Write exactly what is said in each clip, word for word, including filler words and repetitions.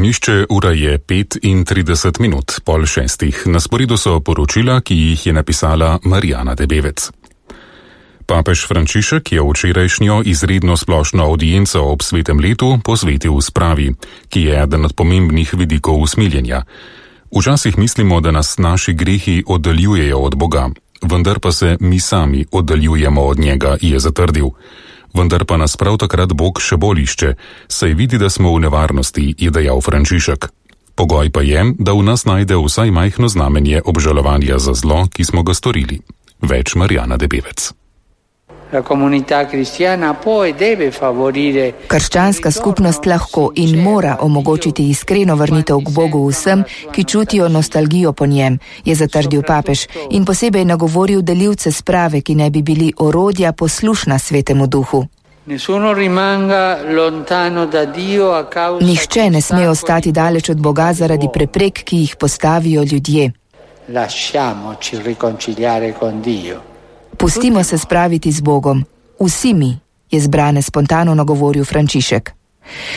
Ognjišče, ura je petintrideset minut, pol šestih. Na sporedu so poročila, ki jih je napisala Marijana Debevec. Papež Frančišek je včerajšnjo izredno splošno audienco ob svetem letu posvetil spravi, ki je eden od pomembnih vidikov usmiljenja. Včasih mislimo, da nas naši grehi oddaljujejo od Boga, vendar pa se mi sami oddaljujemo od njega, je zatrdil. Vendar pa nas prav takrat Bog še bolj išče, saj vidi, da smo v nevarnosti, je dejal Frančišek. Pogoj pa je, da v nas najde vsaj majhno znamenje obžalovanja za zlo, ki smo ga storili. Več Marijana Debevec. Krščanska skupnost lahko in mora omogočiti iskreno vrnitev k Bogu vsem, ki čutijo nostalgijo po njem, je zatrdil papež in posebej nagovoril delilce sprave, ki naj bi bili orodja poslušna Svetemu Duhu. Nihče ne sme ostati daleč od Boga zaradi preprek, ki jih postavijo ljudje. Pustimo se spraviti z Bogom. Vsi mi, je zbrane spontano nagovoril Frančišek.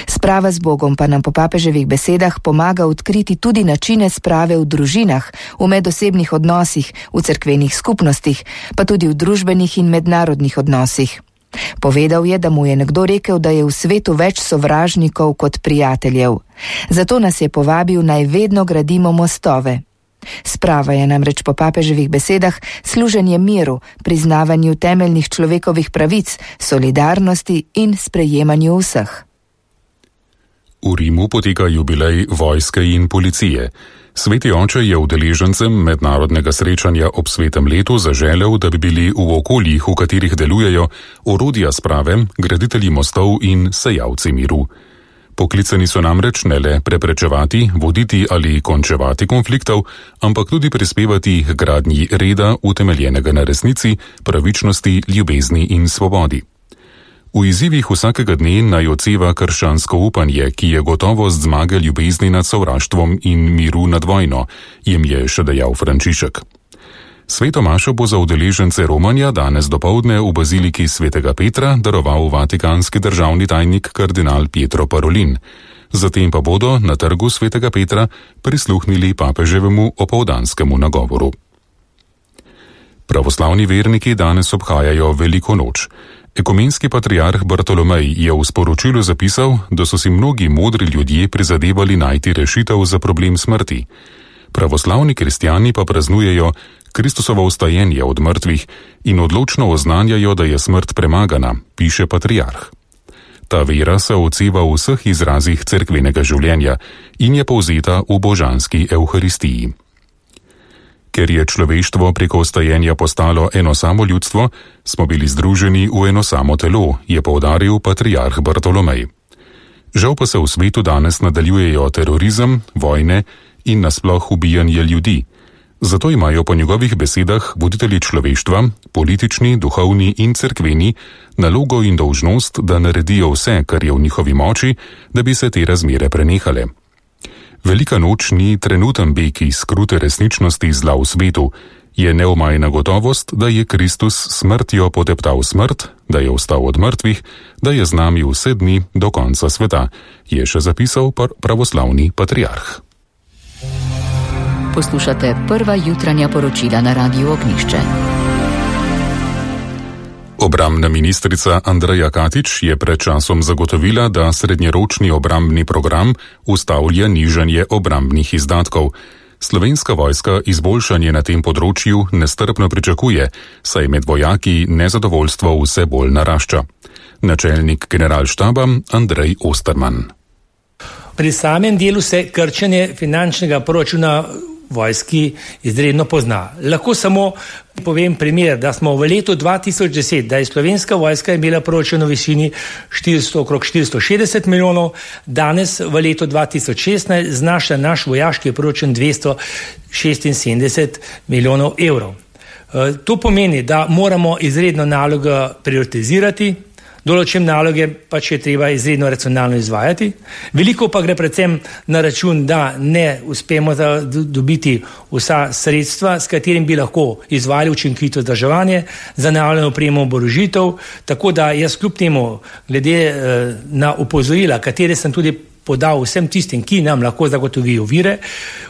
Sprava z Bogom pa nam po papeževih besedah pomaga odkriti tudi načine sprave v družinah, v medosebnih odnosih, v cerkvenih skupnostih, pa tudi v družbenih in mednarodnih odnosih. Povedal je, da mu je nekdo rekel, da je v svetu več sovražnikov kot prijateljev. Zato nas je povabil, naj vedno gradimo mostove. Sprava je namreč po papeževih besedah služenje miru, priznavanju temeljnih človekovih pravic, solidarnosti in sprejemanju vseh. V Rimu poteka jubilej vojske in policije. Sveti oče je udeležencem mednarodnega srečanja ob svetem letu zaželel, da bi bili v okoljih, v katerih delujejo, orodja sprave, graditelji mostov in sejalci miru. Poklicani so namreč ne le preprečevati, voditi ali končevati konfliktov, ampak tudi prispevati k gradnji reda, utemeljenega na resnici, pravičnosti, ljubezni in svobodi. V izzivih vsakega dne naj odseva krščansko upanje, ki je gotovost zmage ljubezni nad sovraštvom in miru nad vojno, jim je še dejal Frančišek. Sveto mašo bo za udeležence romanja danes dopoldne v baziliki svetega Petra daroval vatikanski državni tajnik kardinal Pietro Parolin. Zatem pa bodo na trgu svetega Petra prisluhnili papeževemu opoldanskemu nagovoru. Pravoslavni verniki danes obhajajo Veliko noč. Ekumenski patriarh Bartolomej je v sporočilu zapisal, da so si mnogi modri ljudje prizadevali najti rešitev za problem smrti. Pravoslavni kristjani pa praznujejo Kristusovo vstajenje od mrtvih in odločno oznanjajo, da je smrt premagana, piše patriarh. Ta vera se odseva v vseh izrazih cerkvenega življenja in je povzeta v božanski evharistiji. Ker je človeštvo preko vstajenja postalo eno samo ljudstvo, smo bili združeni v eno samo telo, je poudaril patriarh Bartolomej. Žal pa se v svetu danes nadaljujejo terorizem, vojne in nasploh ubijanje ljudi. Zato imajo po njegovih besedah voditelji človeštva, politični, duhovni in cerkveni, nalogo in dolžnost, da naredijo vse, kar je v njihovi moči, da bi se te razmere prenehale. Velika noč ni trenuten beg iz krute resničnosti zla v svetu, je neomajna gotovost, da je Kristus smrtjo poteptal smrt, da je vstal od mrtvih, da je z nami vse dni do konca sveta, je še zapisal pravoslavni patriarh. Poslušate prva jutranja poročila na Radiu Ognjišče. Obrambna ministrica Andreja Katič je pred časom zagotovila, da srednjeročni obrambni program ustavlja nižanje obrambnih izdatkov. Slovenska vojska izboljšanje na tem področju nestrpno pričakuje, saj med vojaki nezadovoljstvo vse bolj narašča. Načelnik generalštaba Andrej Osterman. Pri samem delu se krčenje finančnega proračuna vojski izredno pozna. Lahko samo povem primer, da smo v letu dva tisoč deset, da je Slovenska vojska imela proračun v višini štiristo, okrog štiristo šestdeset milijonov, danes v letu dva tisoč šestnajst znaša naš vojaški proračun dvesto šestinsedemdeset milijonov evrov. To pomeni, da moramo izredno nalogo prioritizirati, določene naloge pač je treba izredno racionalno izvajati. Veliko pa gre predvsem na račun, da ne uspemo dobiti vsa sredstva, s katerim bi lahko izvajali učinkovito vzdrževanje, zanavljanje opremo, oborožitev, tako da jaz kljub temu, glede na opozorila, katere sem tudi podal vsem tistim, ki nam lahko zagotovijo vire.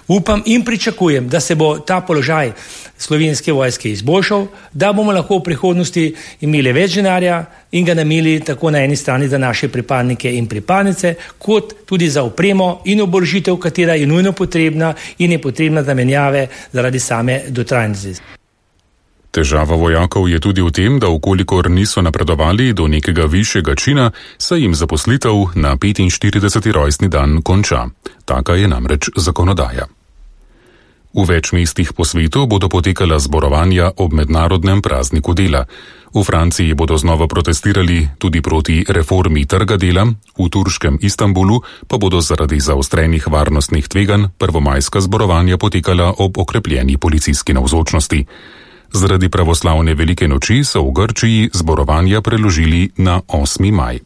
Upam in pričakujem, da se bo ta položaj Slovenske vojske izboljšal, da bomo lahko v prihodnosti imeli več denarja in ga namenili tako na eni strani za naše pripadnike in pripadnice, kot tudi za opremo in oborožitev, katera je nujno potrebna in je potrebna zamenjave zaradi same dotrajnosti. Težava vojakov je tudi v tem, da ukolikor niso napredovali do nekega višjega čina, se jim zaposlitev na petinštirideseti rojstni dan konča. Taka je namreč zakonodaja. V več mestih po svetu bodo potekala zborovanja ob mednarodnem prazniku dela. V Franciji bodo znova protestirali tudi proti reformi trga dela, v turškem Istanbulu pa bodo zaradi zaostrenih varnostnih tveganj prvomajska zborovanja potekala ob okrepljeni policijski navzočnosti. Zaradi pravoslavne velike noči so v Grčiji zborovanja preložili na osmi maj.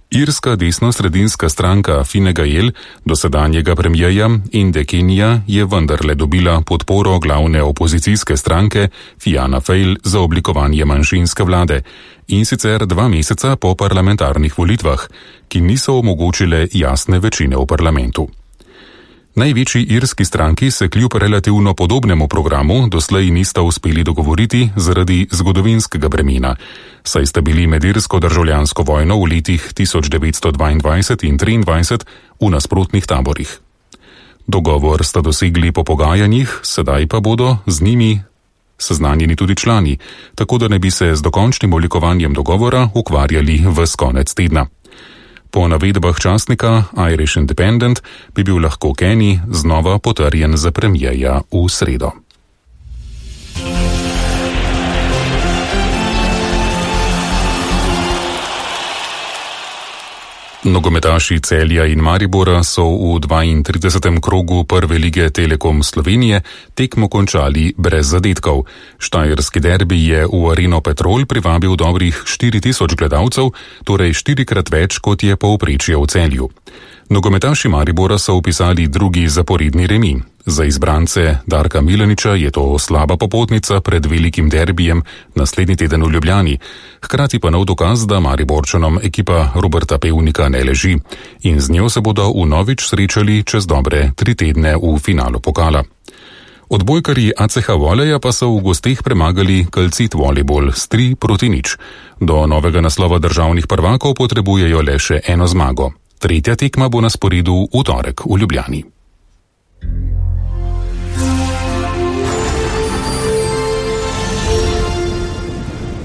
Irska desno-sredinska stranka Fine Gael, dosedanjega premijeja Inde Kenija, je vendarle dobila podporo glavne opozicijske stranke Fianna Fáil za oblikovanje manjšinske vlade, in sicer dva meseca po parlamentarnih volitvah, ki niso omogočile jasne večine v parlamentu. Največji irski stranki se kljub relativno podobnemu programu doslej nista uspeli dogovoriti zaradi zgodovinskega bremena, saj sta bili med irsko državljansko vojno v letih tisoč devetsto dvaindvajset in triindvajset v nasprotnih taborih. Dogovor sta dosegli po pogajanjih, sedaj pa bodo z njimi seznanjeni tudi člani, tako da ne bi se z dokončnim oblikovanjem dogovora ukvarjali ves konec tedna. Po navedbah časnika Irish Independent bi bil lahko Kenny znova potrjen za premijeja v sredo. Nogometaši Celja in Maribora so v dvaintridesetem krogu prve lige Telekom Slovenije tekmo končali brez zadetkov. Štajerski derbi je v Areno Petrol privabil dobrih štiri tisoč gledalcev, torej štirikrat več, kot je povprečje v Celju. Nogometaši Maribora so vpisali drugi zaporedni remi. Za izbrance Darka Milaniča je to slaba popotnica pred velikim derbijem naslednji teden v Ljubljani, hkrati pa nov dokaz, da Mariborčanom ekipa Roberta Pevnika ne leži in z njo se bodo vnovič srečali čez dobre tri tedne v finalu pokala. Odbojkarji A C H Voleja pa so v gosteh premagali Calcit Volleyball s tri proti nič. Do novega naslova državnih prvakov potrebujejo le še eno zmago. Tretja tekma bo na sporedu v torek v Ljubljani.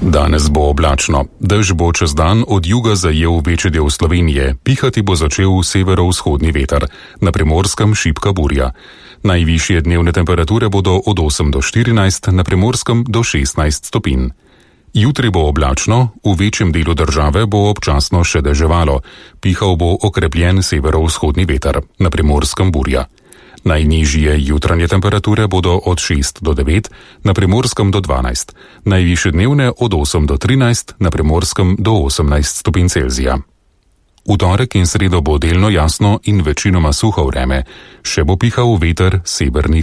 Danes bo oblačno. Dež bo čez dan od juga zajel večji del Slovenije, pihati bo začel severovzhodni veter, na Primorskem šibka burja. Najvišje dnevne temperature bodo od osem do štirinajst, na Primorskem do šestnajst stopinj. Jutri bo oblačno, v večjem delu države bo občasno še deževalo, pihal bo okrepljen severovzhodni veter, na Primorskem burja. Najnižje jutranje temperature bodo od šest do devet, na Primorskem do dvanajst, najvišje dnevne od osem do trinajst, na Primorskem do osemnajst stopinj Celzija. V torek in sredo bo delno jasno in večinoma suho vreme, še bo pihal veter severnih